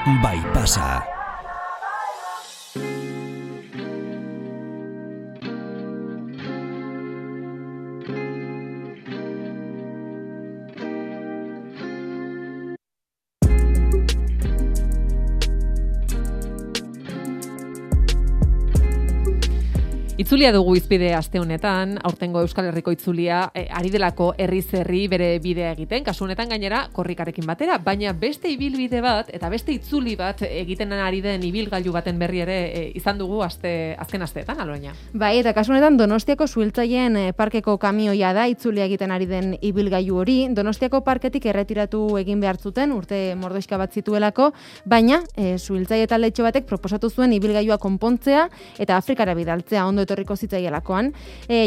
bai pasa. Itzulia dugu izpide aste honetan, aurtengo Euskal Herriko itzulia ari delako herriz herri bere bidea egiten, kasu honetan gainera korrikarekin batera, baina beste ibilbide bat eta beste itzuli bat egiten ari den ibilgailu baten berri ere izan dugu azken asteetan, Aloña. Bai, eta kasu honetan Donostiako Suhiltzaileen parkeko kamioia da itzulia egiten ari den ibilgailu hori. Donostiako parketik erretiratu egin behar zuten urte mordoxka bat zituelako, baina Suhiltzaile taldetxo batek proposatu zuen ibilgailua konpontzea eta Afrikara bidaltzea ondo etorriko zitzaielakoan.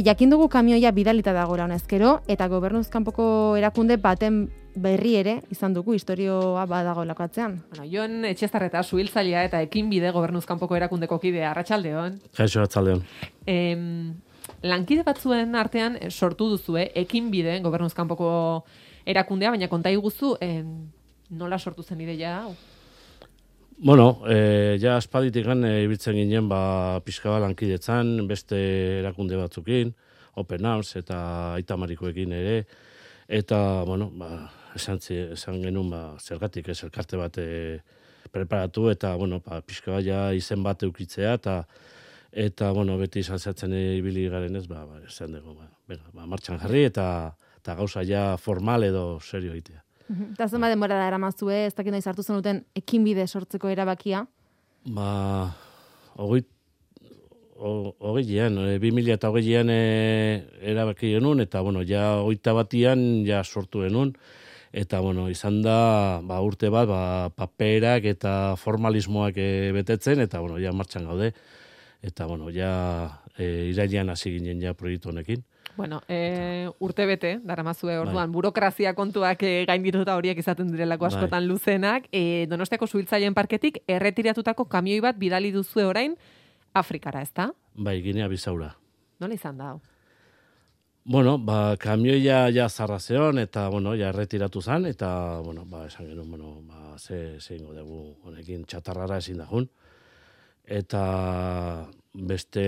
Jakin dugu kamioia bidalita dagoela honezkero, eta gobernuz kanpoko erakunde baten berri ere izan dugu istorioa badagoelako atzean. Bueno, Jon Etxezarreta, Suhiltzailea eta Ekinbide gobernuz kanpoko erakundeko kidea, arratsaldeon. Kaixo, arratsaldeon. Lankide batzuen artean sortu duzue Ekinbide gobernuz kanpoko erakundea, baina konta iguzu nola sortu zen ideia hau? Bueno, ja aspalditik ibiltzen ginen pixka bat lankidetzan, beste erakunde batzukin, Open Arms eta Aitamarikoekin ere, eta, bueno, esan genuen zergatik ez elkarte bat preparatu, eta, bueno, pixka bat ja izen bat eukitzea, eta, bueno, beti izan zertzen ibili garen ez, esan dugu, martxan jarri, eta gauza ja formal edo serio egitea. Eta zenbat denbora da eramazue, ez dakit noiz hartu zenuten Ekinbide sortzeko erabakia? 2008an erabaki genuen, eta, bueno, ja 21an ja sortu genuen, eta, bueno, izan da, urte bat, paperak eta formalismoak betetzen, eta, bueno, ja martxan gaude, eta, bueno, ja irailean hasi ginen ja proiektu honekin. Bueno, urte bete, daramazue orduan, burokrazia kontuak gaindituta horiek izaten direlako askotan luzenak. Donostiako Suhiltzaileen parketik erretiratutako kamioi bat bidali duzue orain Afrikara, ezta? Bai, Ginea Bisaura. Nola izan da? Bueno, kamioia ja zarra zeon, eta, bueno, ja erretiratu zen, eta, bueno, esan genuen, bueno, ze ingo dugu honekin txatarrara ezin dagun. Eta beste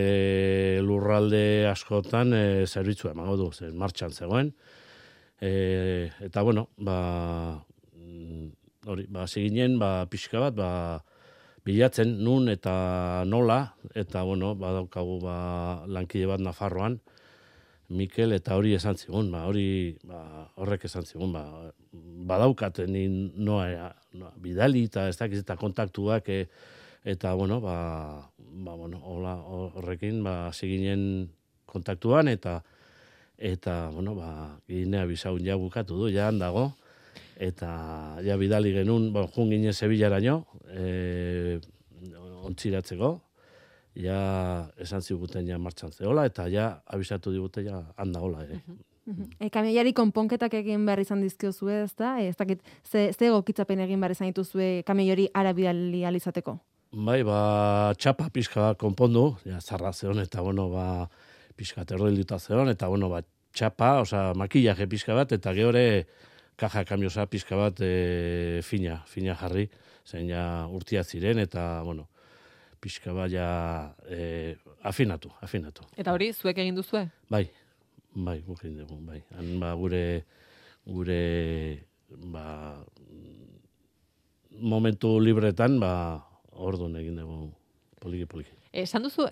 lurralde askotan zerbitzua emango du, martxan zegoen. Eta, bueno, ziginen, pixka bat, bilatzen nun eta nola, eta, bueno, badaukagu lankide bat Nafarroan, Mikel, eta hori esan zigun, horrek esan zigun, badaukaten noa bidali, eta ez dakiz, eta kontaktuak, eta, bueno, horrekin, ziginen kontaktuan, eta, bueno, Ginea Bisaun ja bukatu du, ja handago, eta ja bidali genuen, jun ginen Sevillaraino, ontziratzeko, ja esan ziguten ja martxan zehola, eta ja abisatu digute ja handagola ere. Kamioiari konponketak egin behar izan dizkiozue, ez da? Ez dakit, ze egokitzapen egin behar izan dituzue kamioiari ara bidali alizateko? Bai, txapa pixka konpondu, ja, zarra zeon, eta, bueno, pixka terroilduta zeon, eta, bueno, txapa, makillaje pixka bat, eta gehore kaja kamiosa pixka bat fina jarri, zen ja urtia ziren, eta, bueno, pixka bat ja afinatu. Eta hori, zuek egin duzue? Bai, guk egin dugu, bai. Gure momentu libretan, orduan egin dugu poliki. Esan duzu,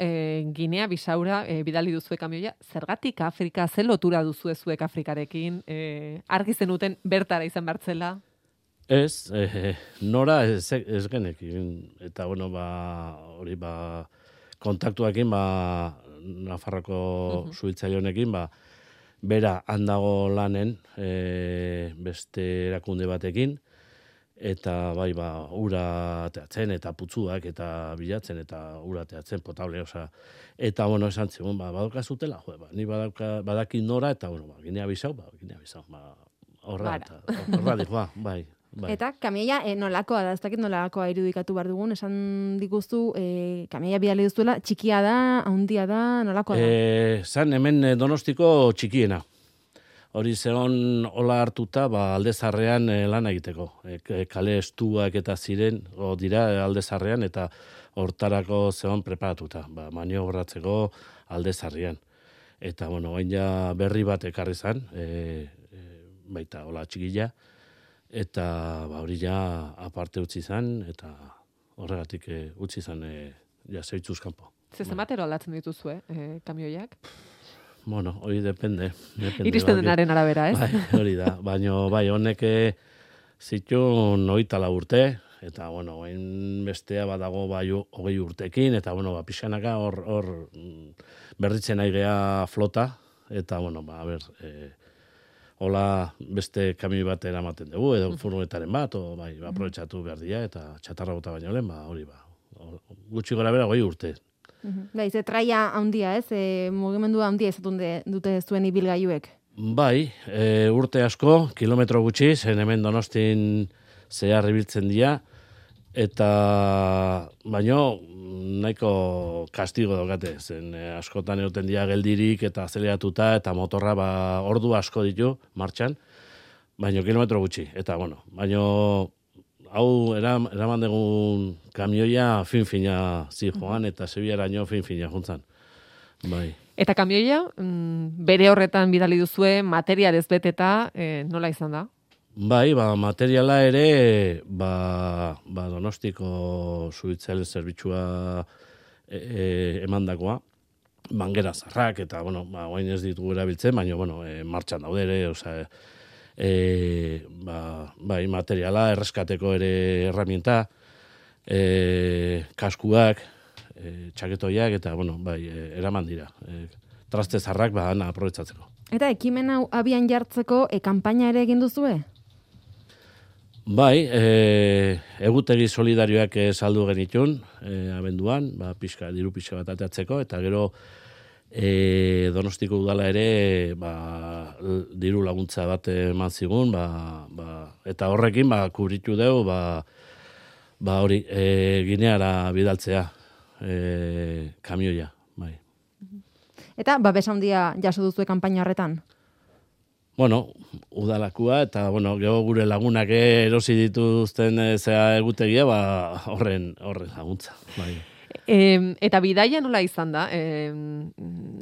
Ginea Bisaura bidali duzue kamioia, zergatik Afrika, ze lotura duzue zuek Afrikarekin, argi zenuten bertara izan bertzela? Ez, nora ez genekin, eta, bueno, hori, kontaktuakin, Nafarroko Suhiltzaile honekin, bera handago lanen, beste erakunde batekin, eta ura teatzen, eta putzuak, eta bilatzen, eta ura teatzen, potable, eta, bueno, esan zigun, badokazutela, ni badaki nora, eta, bueno, Ginea Bisau, horra dihoa, bai. Eta kamioia nolakoa da, ez dakit nolakoa irudikatu behar dugun, esan diguzu, kamioia bidali duzuela, txikia da, handia da, nolakoa da? Zan hemen Donostiko txikiena. hori zeon hola hartuta, aldezarrean lan egiteko. Kale estuak eta ziren, dira aldezarrean, eta hortarako zeon preparatuta, maniobratzeko aldezarrean. Eta, hain ja berri bat ekarri zen, baita hola txikila, eta hori ja aparte utzi zen, eta horregatik utzi zen zeitzuz kanpo. Zenbatero aldatzen dituzue, kamioiak? Hori depende. Iristen denaren arabera, ez? Hori da, baina honek zituen 24 urte, eta, bestea badago 20 urtekin, eta, pixkanaka hor berritzen nahi gea flota, eta, hola beste kamioi bat eramaten dugu, edo furgonetaren bat, aprobetxatu behar dira, eta txatarra bota baino lehen, hori gutxi gora bera 20 urte. Ze traia handia, ez? Mugimendua handia izatun dute zuen ibilgailuek. Bai, urte asko, kilometro gutxi, zen hemen Donostin zehar ibiltzen dira, eta baino nahiko kastigo daukate, zen askotan egoten dira geldirik eta azeleratuta, eta motorra ordu asko ditu martxan, baino kilometro gutxi, eta baino hau eraman dugun kamioia fin-fina zijoan, eta Sevillaraino fin-fina juntzan. Bai. Eta kamioia, bere horretan bidali duzue, material ez beteta, nola izan da? Bai, materiala ere, Donostiko Zubitzailen zerbitzua emandakoa, bangera zarrak, eta, oain ez ditugu erabiltzen, baina, martxan daude ere, bai, materiala, erreskateko ere herramienta, kaskuak, txaketoiak, eta, eraman dira. Traste zarrak, aprobetxatzeko. Eta ekimen hau abian jartzeko, kanpaina ere egin duzue? Bai, egutegi solidarioak saldu genitun, abenduan, diru pixka bat ateatzeko, eta gero Donostiko udala ere diru laguntza bat eman zigun, eta horrekin kubritu dugu hori Gineara bidaltzea kamioia. Bai. Eta babes handia jaso duzu kanpaina horretan? Udalakua, eta gero gure lagunak erosi dituzten egutegia, horren laguntza. Bai. Eta bidaia nola izan da?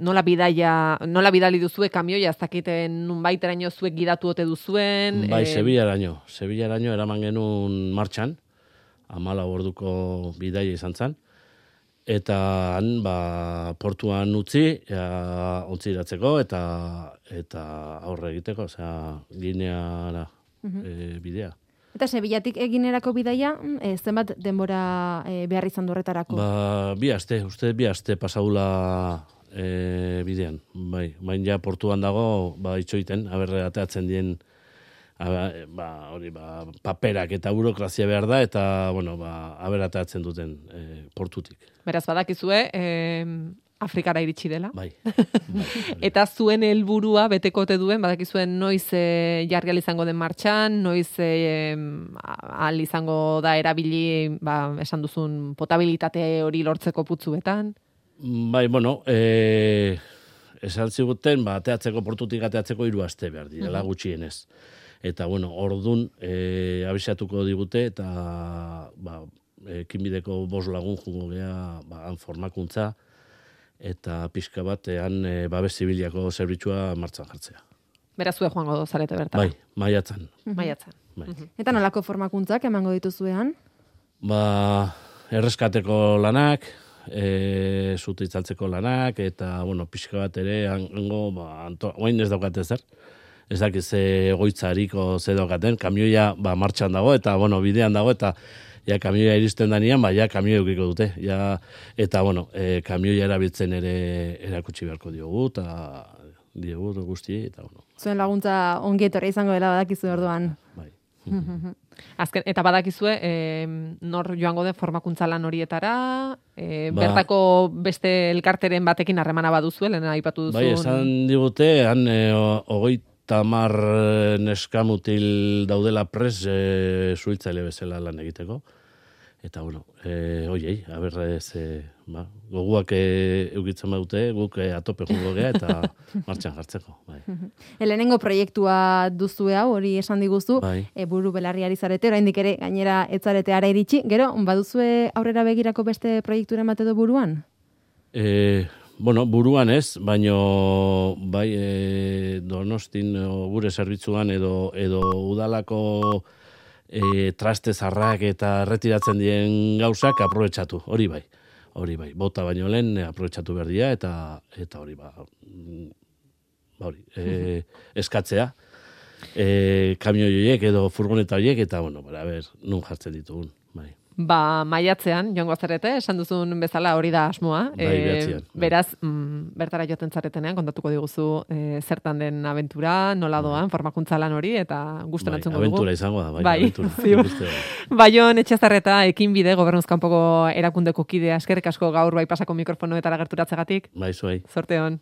Nola bidali duzue kamioia, ez dakiten nunbaiteraino zuek gidatu ote duzuen? Bai, Sevillaraino eraman genuen martxan, 14 orduko bidaia izan zen, eta han portuan utzi, ontziratzeko, eta aurre egiteko, Gineara bidea. Eta Sevillatik eginerako bidaia, zenbat denbora behar izan horretarako? Bi aste pasaula bidean. Bai, baina ja portuan dago, itxoiten, ateatzen dien, paperak eta burokrazia behar da, eta, ateatzen duten portutik. Beraz, badakizue, Afrikara iritsi dela. Bai. Eta zuen helburua beteko ote duen, badakizuen noiz jarri izango den martxan, noiz ahal izango da erabili, esan duzun potabilitate hori lortzeko putzuetan? Bai, esan ziguten, ateatzeko portutik ateatzeko 3 aste behar direla gutxienez. Eta, ordun abisatuko digute, eta ekinbideko 5 lagun jungo gea, han formakuntza, eta pixka batean babes zibiliako zerbitzua martxan jartzea. Beraz, zue joango zarete bertara? Bai, maiatzan. Maiatzan. Eta nolako formakuntzak emango dituzuean? Erreskateko lanak, zute itzaltzeko lanak, eta, pixka bat ere, hango, oain ez daukate zer. Ez dakiz egoitzariko ze daukaten, kamioia martxan dago, eta, bidean dago, eta kamioia iristen danean, kamioia eukiko dute. Eta, kamioia erabiltzen ere erakutsi beharko diogu, eta diogu guzti, eta, Zuen laguntza ongi etorri izango dela badakizu orduan. Bai. Azken, eta badakizue, nor joango den formakuntza lan horietara, bertako beste elkarteren batekin harremana baduzu, lehen aipatu duzun. Bai, esan digute, han 30 neskamutil daudela pres zuhiltzaile bezala lan egiteko. Eta, oiei, goguak eukitzen badute, guk atope jungo gea eta martxan jartzeko. Bai. Lehenengo proiektua duzue hau, hori esan diguzu, Bai. Buru belarriari zarete, oraindik ere gainera etzarete ara iritsi, gero, baduzue aurrera begirako beste proiekturen bat edo buruan? Buruan ez, baino bai Donostin gure zerbitzuan edo udalako traste zarrak eta erretiratzen dien gauzak aprobetxatu, hori bai, bota baino lehen aprobetxatu behar dira eta hori eskatzea, kamio horiek edo furgoneta horiek eta nun jartzen ditugun, bai. Maiatzean, joango zarete, esan duzun bezala hori da asmoa. Behatzean. Beraz, bertara joaten zaretenean, kontatuko diguzu zertan den abentura, nola doan, formakuntza lan hori, eta gustan entzungo dugu. Abentura izango da, abentura. Bai, Baion Etxezarreta, Ekinbide, gobernuzkanpoko erakundeko kidea, eskerrik asko gaur bai pasako mikrofonoetara gerturatzegatik. Bai, zuei. Zorte hon.